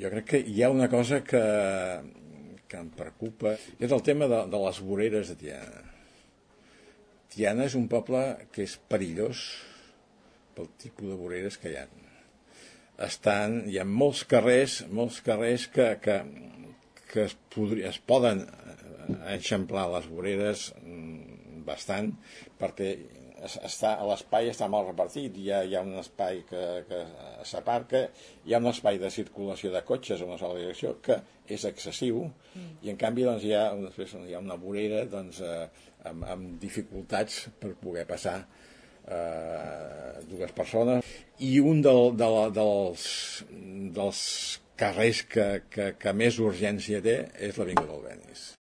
Jo crec que hi ha una cosa que em preocupa, és el tema de les voreres de Tiana. Tiana és un poble que és perillós pel tipus de voreres que hi ha. Hi ha molts carrers que es poden eixamplar les voreres bastant, perquè l'espai està mal repartit. Hi ha un espai que s'aparca, hi ha un espai de circulació de cotxes en una sola direcció que és excessiu, i en canvi doncs, hi ha una vorera amb dificultats per poder passar dues persones, i un dels carrers que més urgència té és l'Avinguda Albéniz.